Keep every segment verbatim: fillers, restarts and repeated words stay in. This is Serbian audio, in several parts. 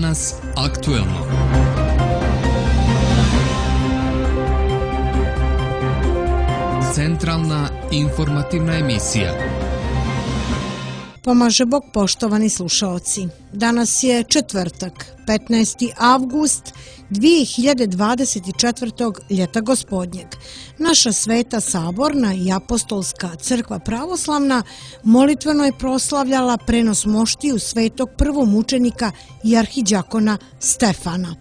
Danas aktuelno. Centralna informativna emisija. Pomaže Bog, poštovani slušaoci. Danas je četvrtak, petnaesti avgust dvije hiljade dvadeset četvrtog. ljeta gospodnjeg. Naša sveta saborna i apostolska crkva pravoslavna molitveno je proslavljala prenos moštiju svetog prvomučenika i arhiđakona Stefana.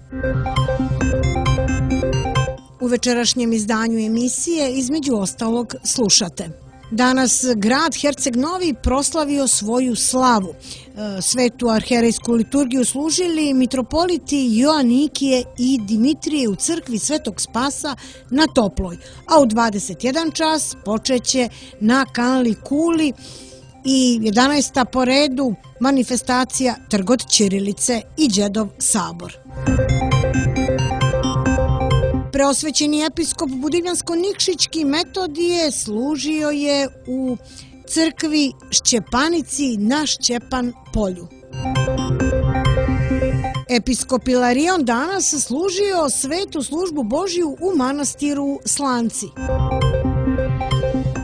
U večerašnjem izdanju emisije između ostalog slušate. Danas grad Herceg Novi proslavio svoju slavu. Svetu arherejsku liturgiju služili mitropoliti Joanikije i Dimitrije u crkvi Svetog Spasa na Toploj, a u dvadeset jedan čas počeće na Kanli Kuli i jedanaesta po redu manifestacija Trg ćirilice i Đedov sabor. Preosvećeni episkop Budivljansko-Nikšićki Metodije služio je u crkvi Šćepanici na Šćepan polju. Episkop Ilarion danas služio svetu službu Božiju u manastiru Slanci.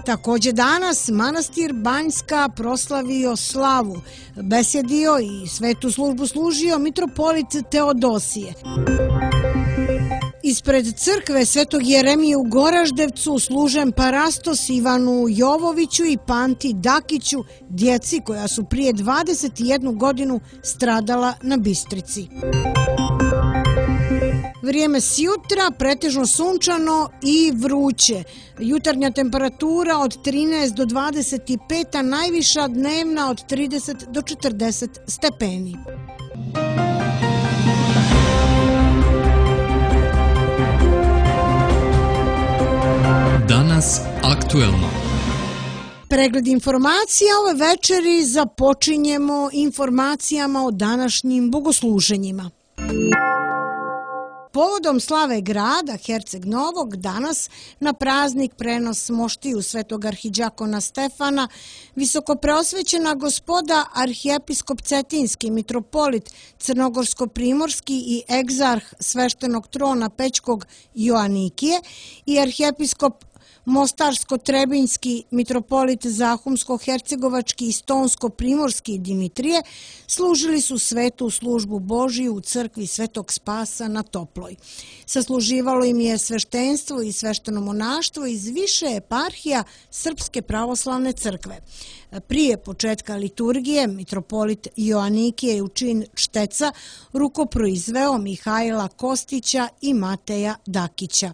Također danas manastir Banjska proslavio slavu, besjedio i svetu službu služio mitropolit Teodosije. Ispred crkve Svetog Jeremije u Goraždevcu služen parastos Ivanu Jovoviću i Panti Dakiću, djeci koja su prije dvadeset jednu godinu stradala na Bistrici. Vrijeme sjutra pretežno sunčano i vruće. Jutarnja temperatura od trinaest do dvadeset pet, a najviša dnevna od trideset do četrdeset stepeni. Danas aktuelno. Pregled informacija ove večeri započinjemo informacijama o današnjim bogosluženjima. Povodom slave grada Herceg Novog danas na praznik prenos moštiju svetog arhiđakona Stefana visokopreosvećena gospoda arhijepiskop Cetinski, mitropolit Crnogorsko-primorski i egzarh sveštenog trona Pećkog Joanikije i arhijepiskop Mostarsko-trebinjski mitropolit Zahumsko-hercegovački i Stonsko-primorski Dimitrije služili su svetu službu Božiju u crkvi Svetog Spasa na Toploj. Sasluživalo im je sveštenstvo i svešteno monaštvo iz više eparhija Srpske pravoslavne crkve. Prije početka liturgije mitropolit Joanikije je u čin čteca rukoproizveo Mihajla Kostića i Mateja Dakića.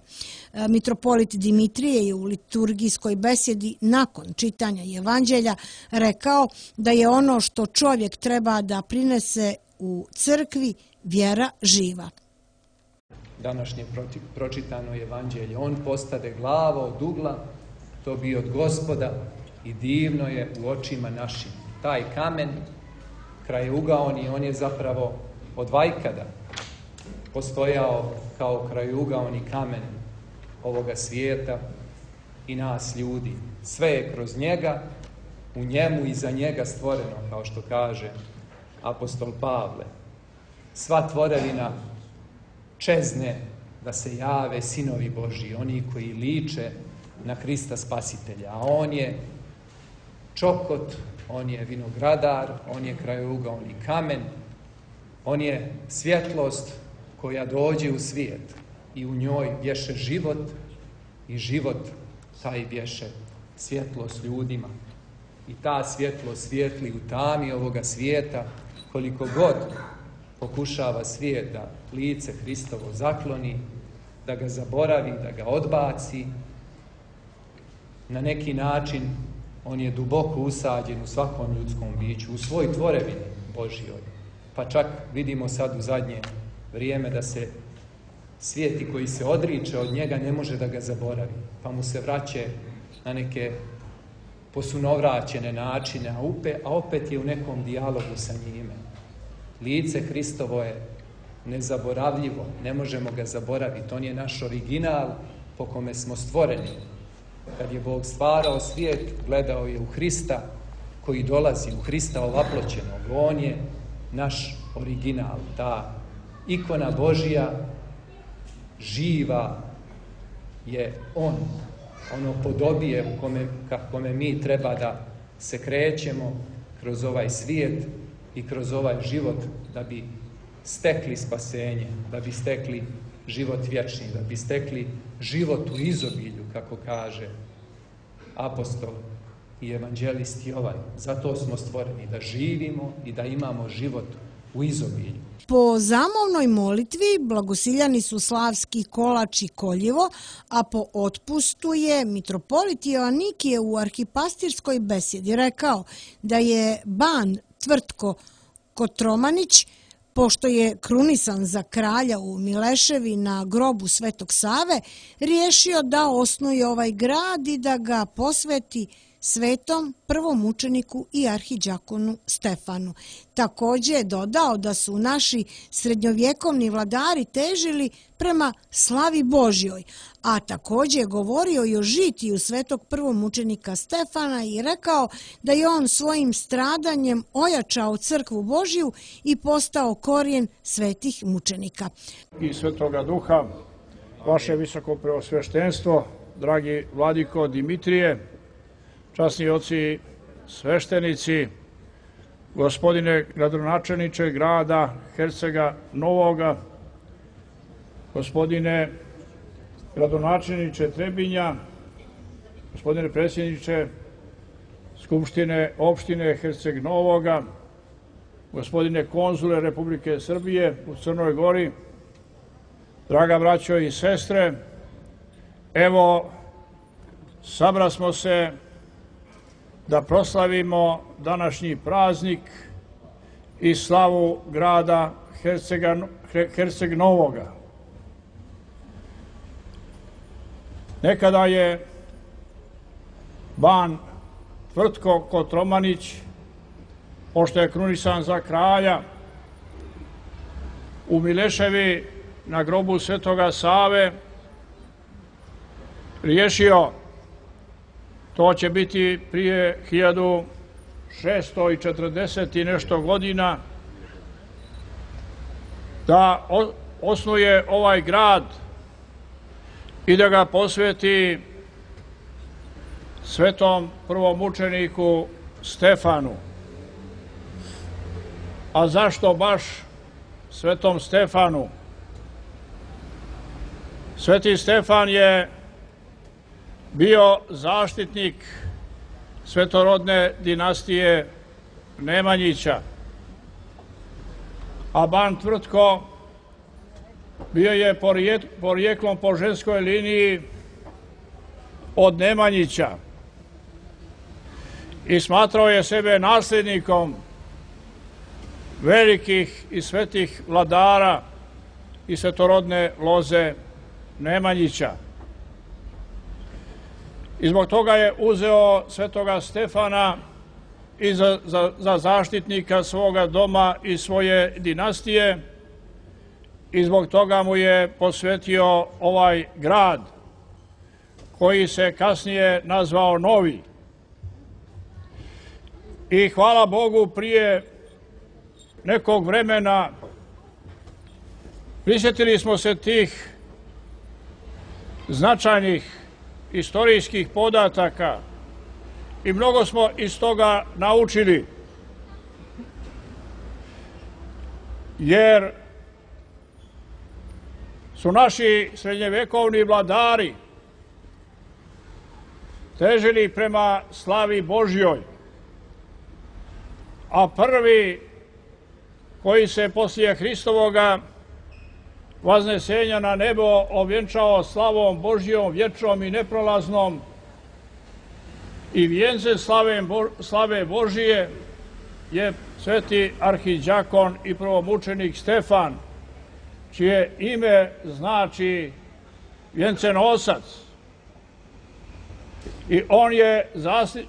Mitropolit Dimitrije je u liturgijskoj besjedi nakon čitanja Evanđelja rekao da je ono što čovjek treba da prinese u crkvi vjera živa. Današnje pročitano Evanđelje, on postade glava od ugla, to bi od Gospoda i divno je u očima našim. Taj kamen, krajeugaoni, on je zapravo od vajkada postojao kao krajeugaoni kamen ovoga svijeta i nas ljudi. Sve je kroz njega, u njemu i za njega stvoreno, kao što kaže apostol Pavle. Sva tvorevina čezne da se jave sinovi Božji, oni koji liče na Krista Spasitelja, a on je čokot, on je vinogradar, on je krajeugaoni kamen, on je svjetlost koja dođe u svijet i u njoj bješe život i život taj bješe svjetlost ljudima. I ta svjetlost svijetli u tami ovoga svijeta, koliko god pokušava svijet da lice Hristovo zakloni, da ga zaboravi, da ga odbaci, na neki način on je duboko usađen u svakom ljudskom biću, u svoj tvorevini Božjoj. Pa čak vidimo sad u zadnje vrijeme da se svijeti koji se odriče od njega ne može da ga zaboravi, pa mu se vraće na neke posunovraćene načine, a opet je u nekom dijalogu sa njime. Lice Hristovo je nezaboravljivo, ne možemo ga zaboraviti, on je naš original po kome smo stvoreni. Kad je Bog stvarao svijet, gledao je u Hrista koji dolazi, u Hrista ovaploćenog. On je naš original, ta ikona Božija, živa je on, ono podobije u kome, ka kome mi treba da se krećemo kroz ovaj svijet i kroz ovaj život da bi stekli spasenje, da bi stekli život vječni, da bi stekli život u izobilju, kako kaže apostol i evanđelist Jovan. Zato smo stvoreni da živimo i da imamo život u izobilju. Po zamovnoj molitvi blagosiljani su Slavski kolač i koljevo, a po otpustu je mitropolit Joanikije u arhipastirskoj besjedi rekao da je ban Tvrtko Kotromanić, pošto je krunisan za kralja u Mileševi na grobu Svetog Save, riješio da osnuje ovaj grad i da ga posveti svetom prvomučeniku i arhidžakonu Stefanu. Također je dodao da su naši srednjovjekovni vladari težili prema slavi Božjoj, a također je govorio i o žitiju svetog prvomučenika Stefana i rekao da je on svojim stradanjem ojačao crkvu Božju i postao korijen svetih mučenika. I Svetoga Duha, vaše visoko preosveštenstvo, dragi vladiko Dimitrije, časni oci sveštenici, gospodine gradonačelniče grada Hercega Novoga, gospodine gradonačelniče Trebinja, gospodine predsjedniče Skupštine opštine Herceg Novoga, gospodine konzule Republike Srbije u Crnoj Gori, draga braćo i sestre, evo, sabrasmo se da proslavimo današnji praznik i slavu grada Hercega, Herceg Novoga. Nekada je ban Tvrtko Kotromanić, pošto je krunisan za kralja, u Mileševi na grobu Svetoga Save riješio, to će biti prije hiljadu šeststo četrdeset i nešto godina, da osnuje ovaj grad i da ga posveti svetom prvomučeniku Stefanu. A zašto baš svetom Stefanu? Sveti Stefan je bio zaštitnik svetorodne dinastije Nemanjića, a ban Tvrtko bio je porijeklom po ženskoj liniji od Nemanjića i smatrao je sebe nasljednikom velikih i svetih vladara i svetorodne loze Nemanjića. I zbog toga je uzeo svetoga Stefana i za, za, za zaštitnika svoga doma i svoje dinastije i zbog toga mu je posvetio ovaj grad koji se kasnije nazvao Novi. I hvala Bogu, prije nekog vremena prisjetili smo se tih značajnih istorijskih podataka i mnogo smo iz toga naučili, jer su naši srednjevekovni vladari težili prema slavi Božjoj, a prvi koji se poslije Hristovoga vaznesenja na nebo ovjenčao slavom Božjom, vječnom i neprolaznom i vijence slave, slave Božije je sveti arhidžakon i prvomučenik Stefan, čije ime znači vjencenosac. I on je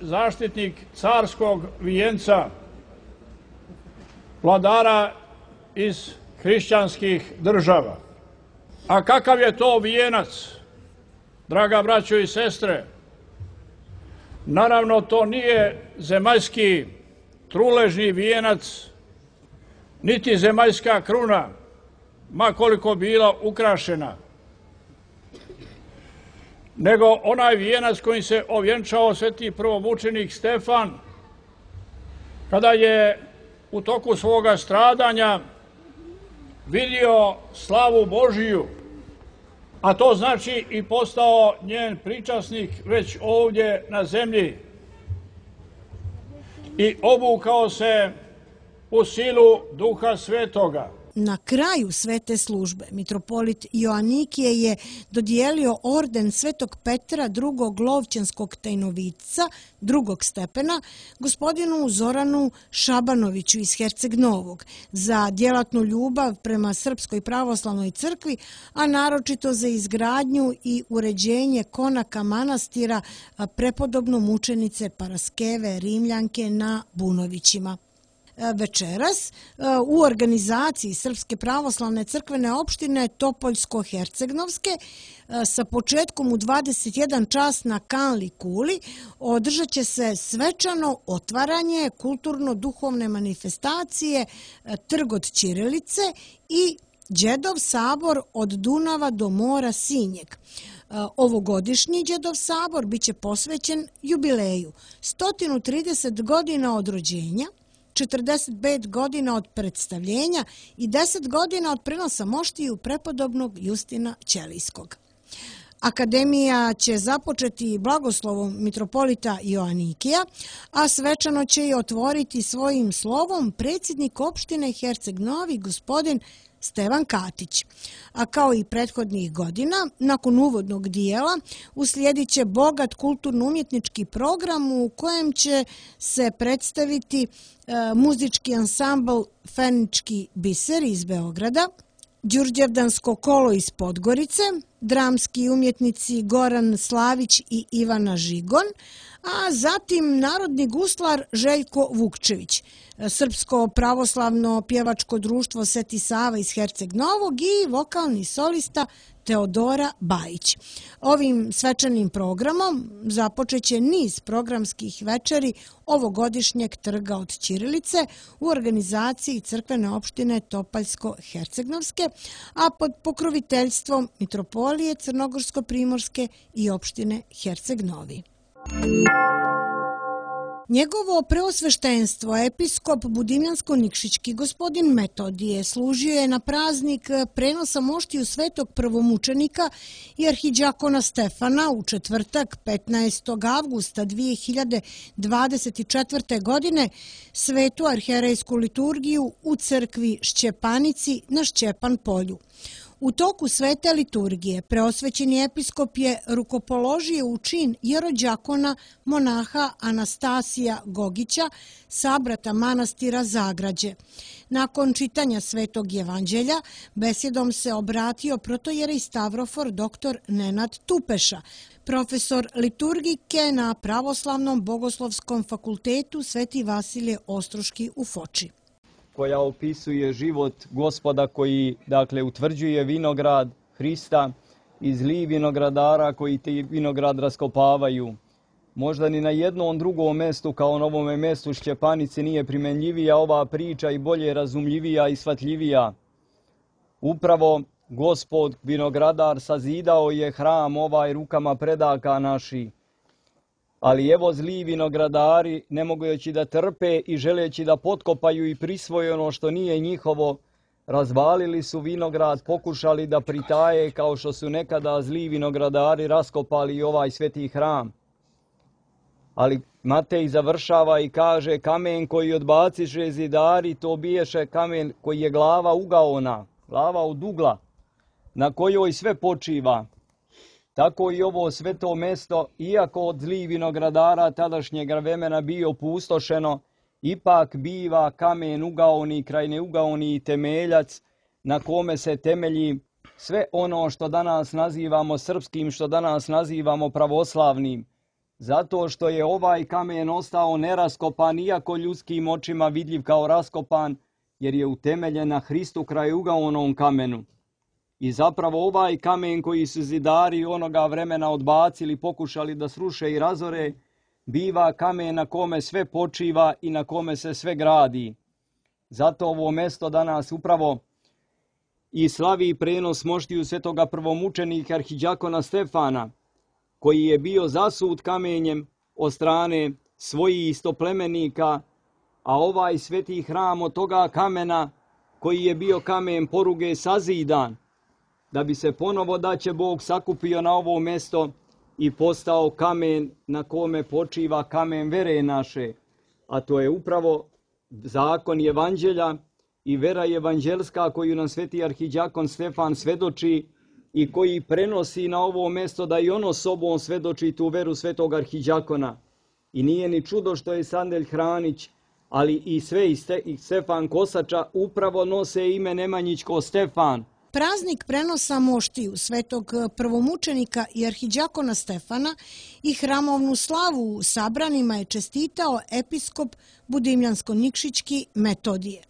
zaštitnik carskog vijenca, vladara iz hrišćanskih država. A kakav je to vijenac, draga braćo i sestre? Naravno, to nije zemaljski truležni vijenac, niti zemaljska kruna, ma koliko bila ukrašena, nego onaj vijenac kojim se ovjenčao sveti prvomučenik Stefan, kada je u toku svoga stradanja vidio slavu Božiju, a to znači i postao njen pričasnik već ovdje na zemlji, i obukao se u silu Duha Svetoga. Na kraju svete službe mitropolit Joanikije je dodijelio orden Svetog Petra drugog Lovćanskog tajnovica drugog stepena gospodinu Zoranu Šabanoviću iz Herceg Novog za djelatnu ljubav prema Srpskoj pravoslavnoj crkvi, a naročito za izgradnju i uređenje konaka manastira prepodobno mučenice Paraskeve Rimljanke na Bunovićima. Večeras u organizaciji Srpske pravoslavne crkvene opštine Topoljsko-Hercegnovske sa početkom u dvadeset jedan čas na Kanli kuli održat će se svečano otvaranje kulturno-duhovne manifestacije Trg od ćirilice i Đedov sabor od Dunava do mora Sinjeg. Ovogodišnji Đedov sabor biće posvećen jubileju sto trideset godina od rođenja, četrdeset pet godina od predstavljenja i deset godina od prenosa moštiju prepodobnog Justina Ćelijskog. Akademija će započeti blagoslovom mitropolita Joanikija, a svečano će i otvoriti svojim slovom predsjednik opštine Herceg Novi, gospodin Stevan Katić. A kao i prethodnih godina, nakon uvodnog dijela uslijedit će bogat kulturno-umjetnički program u kojem će se predstaviti e, muzički ansambl Fenički biser iz Beograda, Đurđevdansko kolo iz Podgorice, dramski umjetnici Goran Slavić i Ivana Žigon, a zatim narodni guslar Željko Vukčević, Srpsko pravoslavno pjevačko društvo Sveti Sava iz Herceg Novog i vokalni solista Teodora Bajić. Ovim svečanim programom započeće niz programskih večeri ovogodišnjeg Trga od ćirilice u organizaciji crkvene opštine Topaljsko-Hercegnovske, a pod pokroviteljstvom mitropolije Crnogorsko-Primorske i opštine Herceg Novi. Njegovo preosveštenstvo, episkop Budimljansko-Nikšićki gospodin Metodije, služio je na praznik prenosa moštiju svetog prvomučenika i arhidžakona Stefana u četvrtak petnaestog avgusta dvije hiljade dvadeset četvrte. godine svetu arhijerejsku liturgiju u crkvi Šćepanici na Šćepan polju. U toku svete liturgije preosvećeni episkop je rukopoložio u čin jerođakona monaha Anastasija Gogića, sabrata manastira Zagrađe. Nakon čitanja svetog evanđelja besjedom se obratio protojerej Stavrofor doktor Nenad Tupeša, profesor liturgike na Pravoslavnom bogoslovskom fakultetu Sveti Vasilije Ostroški u Foči, koja opisuje život Gospoda koji, dakle, utvrđuje vinograd Hrista i zli vinogradara koji te vinograd raskopavaju. Možda ni na jednom drugom mestu kao na ovome mestu Šćepanice nije primenljivija ova priča i bolje razumljivija i shvatljivija. Upravo Gospod vinogradar sazidao je hram ovaj rukama predaka naši. Ali evo zli vinogradari, ne mogući da trpe i želeći da potkopaju i prisvoje ono što nije njihovo, razvalili su vinograd, pokušali da pritaje kao što su nekada zli vinogradari raskopali i ovaj sveti hram. Ali Matej završava i kaže: kamen koji odbaciše zidari, to biješe kamen koji je glava ugaona, glava od ugla, na kojoj sve počiva. Tako i ovo sveto mesto, iako od zlih vinogradara tadašnjeg vremena bio pustošeno, ipak biva kamen ugaoni, kraj neugaoni temeljac na kome se temelji sve ono što danas nazivamo srpskim, što danas nazivamo pravoslavnim. Zato što je ovaj kamen ostao neraskopan, iako ljudskim očima vidljiv kao raskopan, jer je utemeljen na Hristu kraj ugaonom kamenu. I zapravo ovaj kamen koji su zidari onoga vremena odbacili, pokušali da sruše i razore, biva kamen na kome sve počiva i na kome se sve gradi. Zato ovo mesto danas upravo i slavi prenos moštiju svetoga prvomučenika arhidjakona Stefana, koji je bio zasut kamenjem od strane svojih istoplemenika, a ovaj sveti hram od toga kamena, koji je bio kamen poruge, sazidan, da bi se ponovo da će Bog sakupio na ovo mjesto i postao kamen na kome počiva kamen vere naše, a to je upravo zakon evanđelja i vera evanđelska koju nam sveti arhidjakon Stefan svedoči i koji prenosi na ovo mjesto da i ono sobom svedoči tu veru svetog arhidjakona. I nije ni čudo što je Sandelj Hranić, ali i sve i Stefan Kosača upravo nose ime Nemanjićko Stefan. Praznik prenosa moštiju svetog prvomučenika i arhidjakona Stefana i hramovnu slavu u sabranima je čestitao episkop Budimljansko-Nikšićki Metodije.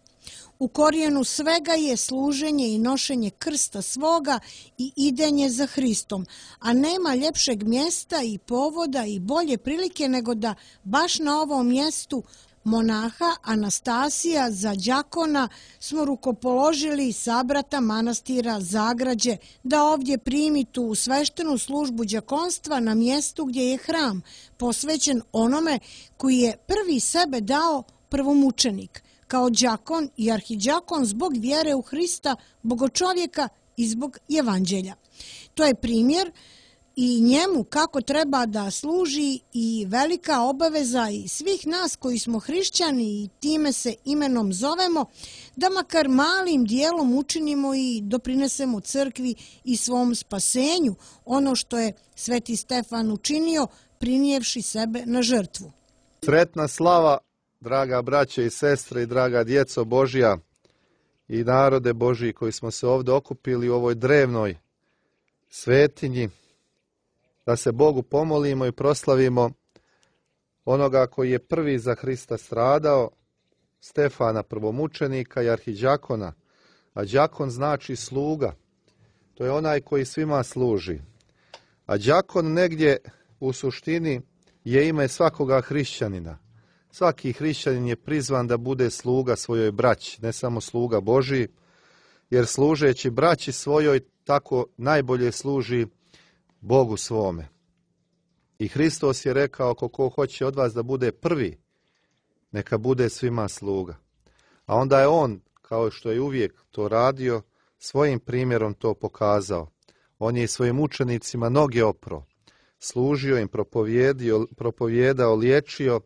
U korijenu svega je služenje i nošenje krsta svoga i idenje za Hristom, a nema ljepšeg mjesta i povoda i bolje prilike nego da baš na ovom mjestu monaha Anastasija za đakona smo rukopoložili sabrata manastira Zagrađe da ovdje primi tu sveštenu službu đakonstva na mjestu gdje je hram posvećen onome koji je prvi sebe dao prvomučenik, kao đakon i arhidjakon zbog vjere u Hrista, bogočovjeka i zbog evanđelja. To je primjer i njemu kako treba da služi i velika obaveza i svih nas koji smo hrišćani i time se imenom zovemo, da makar malim dijelom učinimo i doprinesemo crkvi i svom spasenju ono što je sveti Stefan učinio prinijevši sebe na žrtvu. Sretna slava, draga braće i sestre i draga djeco Božja i narode Božji koji smo se ovdje okupili u ovoj drevnoj svetinji, da se Bogu pomolimo i proslavimo onoga koji je prvi za Hrista stradao, Stefana prvomučenika i arhidjakona. A đakon znači sluga, to je onaj koji svima služi. A đakon negdje u suštini je ime svakoga hrišćanina. Svaki hrišćanin je prizvan da bude sluga svojoj braći, ne samo sluga Božji, jer služeći braći svojoj tako najbolje služi Bogu svome. I Hristos je rekao, ako ko hoće od vas da bude prvi, neka bude svima sluga. A onda je on, kao što je uvijek to radio, svojim primjerom to pokazao. On je svojim učenicima noge opro, služio im, propovijedio, propovijedao, liječio,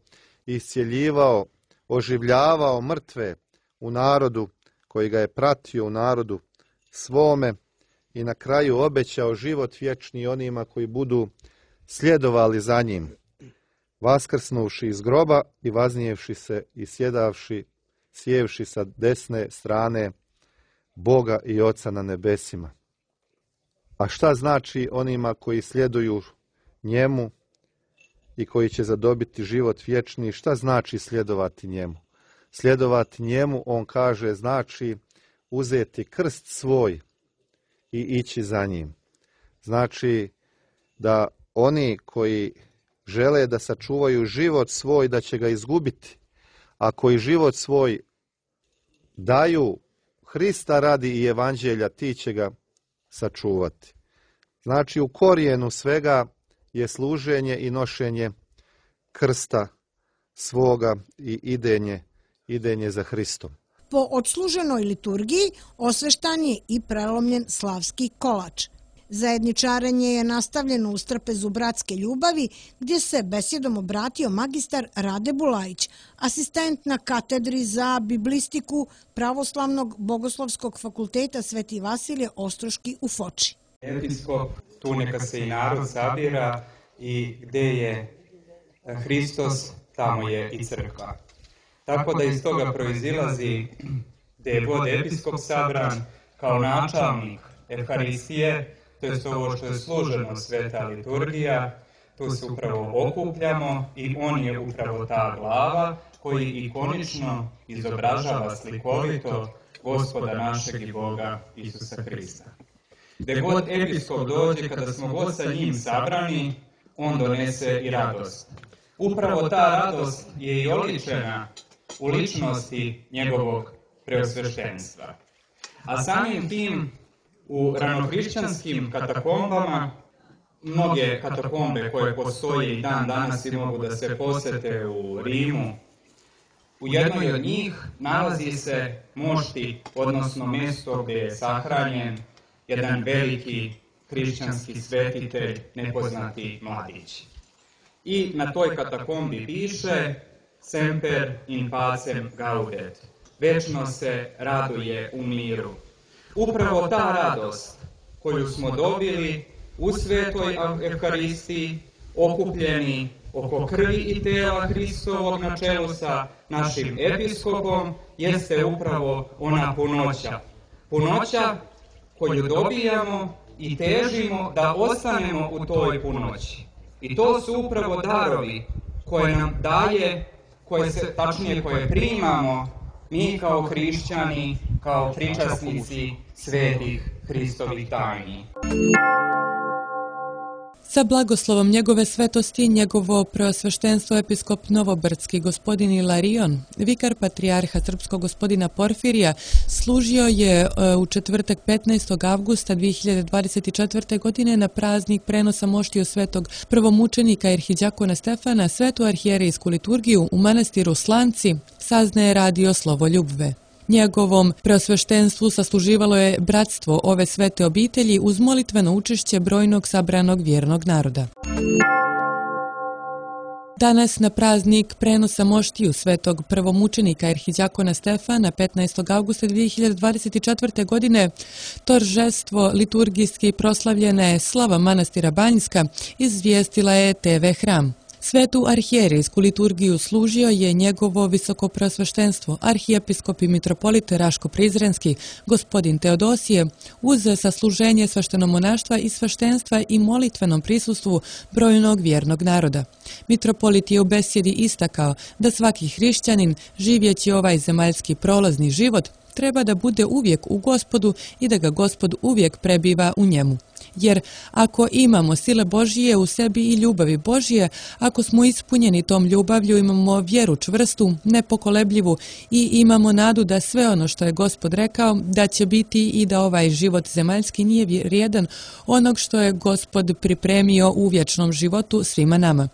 iscjeljivao, oživljavao mrtve u narodu koji ga je pratio, u narodu svome, i na kraju obećao život vječni onima koji budu sljedovali za njim, vaskrsnuvši iz groba i vaznijevši se i sjedavši, sjevši sa desne strane Boga i Oca na nebesima. A šta znači onima koji sljeduju njemu i koji će zadobiti život vječni? Šta znači sljedovati njemu? Sljedovati njemu, on kaže, znači uzeti krst svoj i ići za njim. Znači da oni koji žele da sačuvaju život svoj, da će ga izgubiti, a koji život svoj daju Hrista radi i evanđelja, ti će ga sačuvati. Znači u korijenu svega je služenje i nošenje krsta svoga i idenje, idenje za Hristom. Po odsluženoj liturgiji osveštan je i prelomljen slavski kolač. Zajedničarenje je nastavljeno u strapezu bratske ljubavi, gdje se besjedom obratio magistar Rade Bulajić, asistent na katedri za biblistiku Pravoslavnog bogoslovskog fakulteta Sveti Vasilije Ostroški u Foči. Episkop, tu neka se i narod sabira i gdje je Hristos, tamo je i crkva. Tako da iz toga proizilazi gdje je god episkop sabran kao načelnik Evharistije, to je ovo što je služeno sveta liturgija, tu se upravo okupljamo i on je upravo ta glava koji ikonično izobražava slikovito Gospoda našeg i Boga Isusa Hrista. Gdje god episkop dođe, kada smo god sa njim sabrani, on donese i radost. Upravo ta radost je i oličena u ličnosti njegovog preosveštenstva. A samim tim u ranohrišćanskim katakombama, mnoge katakombe koje postoje i dan danas i mogu da se posete u Rimu, u jednoj od njih nalazi se mošti, odnosno mjesto gdje je sahranjen jedan veliki hrišćanski svetitelj, nepoznati mladić. I na toj katakombi piše Semper in pacem gaudet, večno se raduje u miru. Upravo ta radost koju smo dobili u svetoj Evharistiji, okupljeni oko krvi i tela Hristovog na čelu sa našim episkopom, jeste upravo ona punoća. Punoća koju dobijamo i težimo da ostanemo u toj punoći. I to su upravo darovi koje nam daje, koje se, tačnije koje primamo mi kao hrišćani, kao pričasnici svetih Hristovih tajni. Sa blagoslovom njegove svetosti, njegovo preosveštenstvo episkop Novobrdski gospodin Ilarion, vikar patrijarha srpskog gospodina Porfirija, služio je u četvrtak petnaestog avgusta dvije hiljade dvadeset četvrte. godine na praznik prenosa moštiju svetog prvomučenika arhidjakona Stefana svetu arhijerejsku liturgiju u manastiru Slanci, saznaje radio Slovo Ljubve. Njegovom preosveštenstvu sasluživalo je bratstvo ove svete obitelji uz molitveno učešće brojnog sabranog vjernog naroda. Danas na praznik prenosa moštiju svetog prvomučenika arhidjakona Stefana petnaestog avgusta dvije hiljade dvadeset četvrte. godine toržestvo liturgijski proslavljena je slava manastira Banjska, izvijestila je te ve Hram. Svetu arhijerejsku liturgiju služio je njegovo visokopreosveštenstvo, arhijepiskop i mitropolit Raško-Prizrenski, gospodin Teodosije, uz sasluženje sveštenomonaštva i sveštenstva i molitvenom prisustvu brojnog vjernog naroda. Mitropolit je u besjedi istakao da svaki hrišćanin, živjeći ovaj zemaljski prolazni život, treba da bude uvijek u Gospodu i da ga Gospod uvijek prebiva u njemu. Jer ako imamo sile Božije u sebi i ljubavi Božije, ako smo ispunjeni tom ljubavlju, imamo vjeru čvrstu, nepokolebljivu i imamo nadu da sve ono što je Gospod rekao da će biti i da ovaj život zemaljski nije vrijedan onog što je Gospod pripremio u vječnom životu svima nama.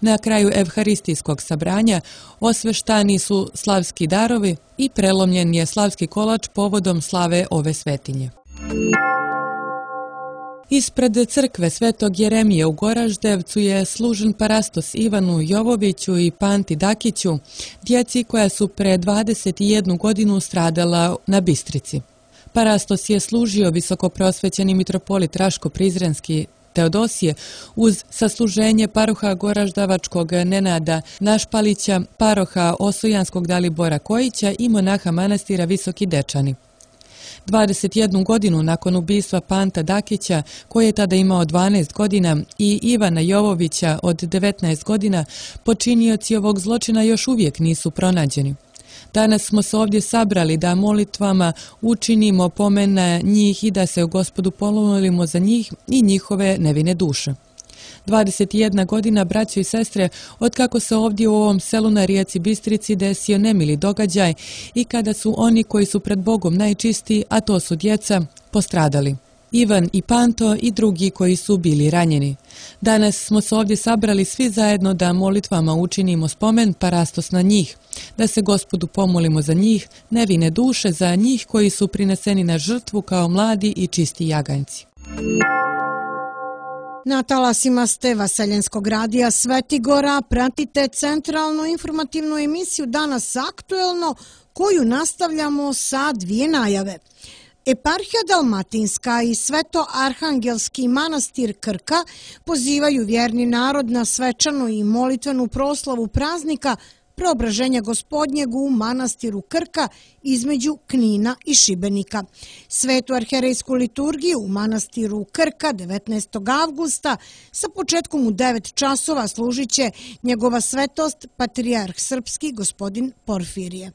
Na kraju evharistijskog sabranja osveštani su slavski darovi i prelomljen je slavski kolač povodom slave ove svetinje. Ispred crkve Svetog Jeremije u Goraždevcu je služen parastos Ivanu Jovoviću i Panti Dakiću, djeci koja su pre dvadeset jednu godinu stradala na Bistrici. Parastos je služio visokopreosvećeni mitropolit Raško-Prizrenski Teodosije uz sasluženje paroha Goraždavačkog Nenada Našpalića, paroha Osojanskog Dalibora Kojića i monaha manastira Visoki Dečani. dvadeset jednu godinu nakon ubistva Panta Dakića, koji je tada imao dvanaest godina, i Ivana Jovovića od devetnaest godina, počinioci ovog zločina još uvijek nisu pronađeni. Danas smo se ovdje sabrali da molitvama učinimo pomen na njih i da se u Gospodu pomolimo za njih i njihove nevine duše. dvadeset jedna godina, braćo i sestre, otkako se ovdje u ovom selu na rijeci Bistrici desio nemili događaj i kada su oni koji su pred Bogom najčistiji, a to su djeca, postradali. Ivan i Panto i drugi koji su bili ranjeni. Danas smo se ovdje sabrali svi zajedno da molitvama učinimo spomen parastos na njih, da se Gospodu pomolimo za njih, nevine duše, za njih koji su prineseni na žrtvu kao mladi i čisti jaganjci. Na talasima ste Vaseljenskog radija Svetigora pratite centralnu informativnu emisiju Danas aktuelno, koju nastavljamo sa dvije najave. Eparhija Dalmatinska i Sveto-Arhangelski manastir Krka pozivaju vjerni narod na svečanu i molitvenu proslavu praznika Preobraženja Gospodnjeg u manastiru Krka između Knina i Šibenika. Svetu arhijerejsku liturgiju u manastiru Krka devetnaestog avgusta sa početkom u devet časova služit će njegova svetost patrijarh srpski gospodin Porfirije.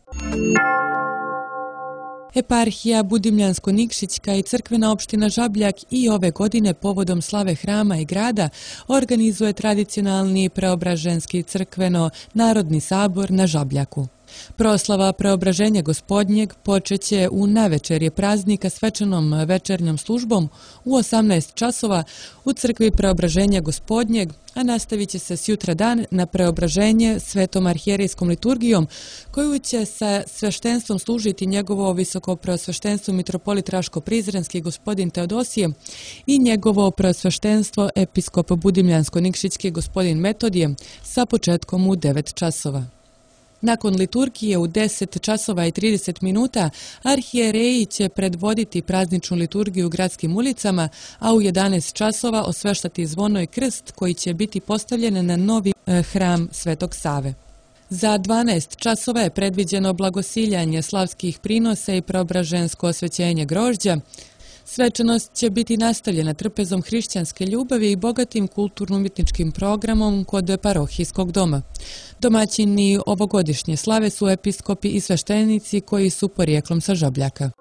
Eparhija Budimljansko-Nikšićka i crkvena opština Žabljak i ove godine povodom slave hrama i grada organizuje tradicionalni preobraženski crkveno-narodni sabor na Žabljaku. Proslava Preobraženja Gospodnjeg počeće u navečerje praznika svečanom večernjom službom u osamnaest časova u crkvi Preobraženja Gospodnjeg, a nastavit će se sjutra dan na Preobraženje svetom arhijerejskom liturgijom, koju će sa sveštenstvom služiti njegovo visoko preosveštenstvo mitropolit Raško-Prizrenski gospodin Teodosije i njegovo preosveštenstvo episkop Budimljansko-Nikšićki gospodin Metodije sa početkom u devet časova. Nakon liturgije u deset časova i trideset minuta arhijereji će predvoditi prazničnu liturgiju u gradskim ulicama, a u jedanaest časova osveštati zvono i krst koji će biti postavljen na novi hram Svetog Save. Za dvanaest časova je predviđeno blagosiljanje slavskih prinosa i preobražensko osvećenje grožđa. Svečanost će biti nastavljena trpezom hrišćanske ljubavi i bogatim kulturno-umjetničkim programom kod parohijskog doma. Domaćini ovogodišnje slave su episkopi i sveštenici koji su porijeklom sa Žabljaka.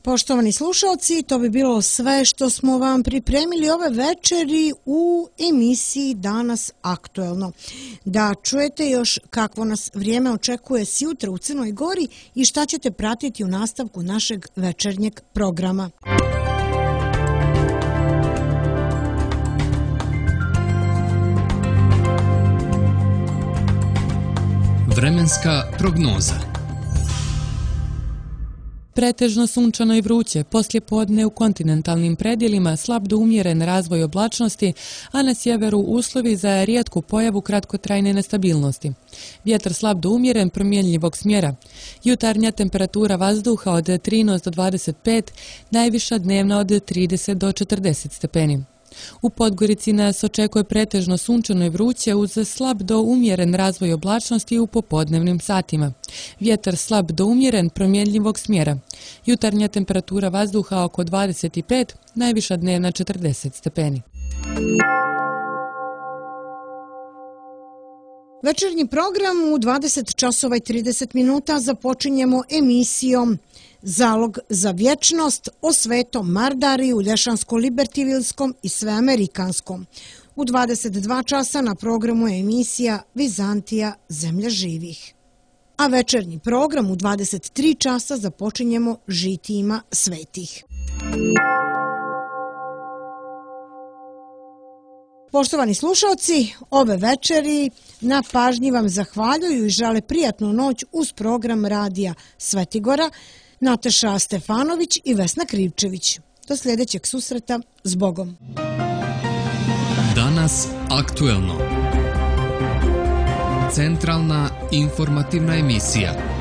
Poštovani slušalci, to bi bilo sve što smo vam pripremili ove večeri u emisiji Danas aktuelno. Da čujete još kakvo nas vrijeme očekuje sjutra u Crnoj Gori i šta ćete pratiti u nastavku našeg večernjeg programa. Vremenska prognoza. Pretežno sunčano i vruće, poslijepodne u kontinentalnim predjelima slab do umjeren razvoj oblačnosti, a na sjeveru uslovi za rijetku pojavu kratkotrajne nestabilnosti. Vjetar slab do umjeren promjenljivog smjera. Jutarnja temperatura vazduha od trinaest do dvadeset pet, najviša dnevna od trideset do četrdeset stepeni. U Podgorici nas očekuje pretežno sunčano i vruće uz slab do umjeren razvoj oblačnosti u popodnevnim satima. Vjetar slab do umjeren promjenljivog smjera. Jutarnja temperatura vazduha oko dvadeset pet, najviša dnevna četrdeset stepeni. Večernji program u dvadeset časova i trideset minuta započinjemo emisijom Zalog za vječnost o Svetom Mardariju, Lješansko-Libertivilskom i Sveamerikanskom. U dvadeset dva časa na programu je emisija Vizantija, zemlja živih. A večernji program u dvadeset tri časa započinjemo žitijima svetih. Poštovani slušalci, ove večeri na pažnji vam zahvaljuju i žele prijatnu noć uz program radija Svetigora, Nataša Stefanović i Vesna Krivčević. Do sljedećeg susreta, s Bogom. Danas aktuelno. Centralna informativna emisija.